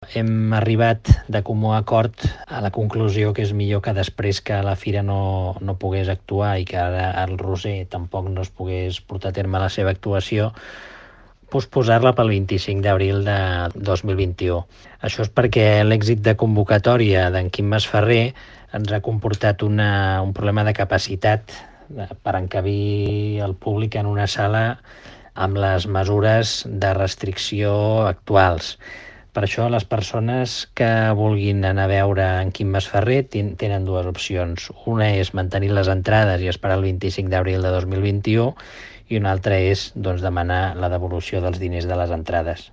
Hem arribat de comú acord a la conclusió que és millor que després que la Fira no pogués actuar i que ara el Roser tampoc no es pogués portar a terme la seva actuació, posposar-la pel 25 d'abril de 2021. Això és perquè l'èxit de convocatòria d'en Quim Masferrer ens ha comportat un problema de capacitat per encabir el públic en una sala amb les mesures de restricció actuals. Per això les persones que vulguin anar a veure en Quim Masferrer tenen dues opcions. Una és mantenir les entrades i esperar el 25 d'abril de 2021 i una altra és demanar la devolució dels diners de les entrades.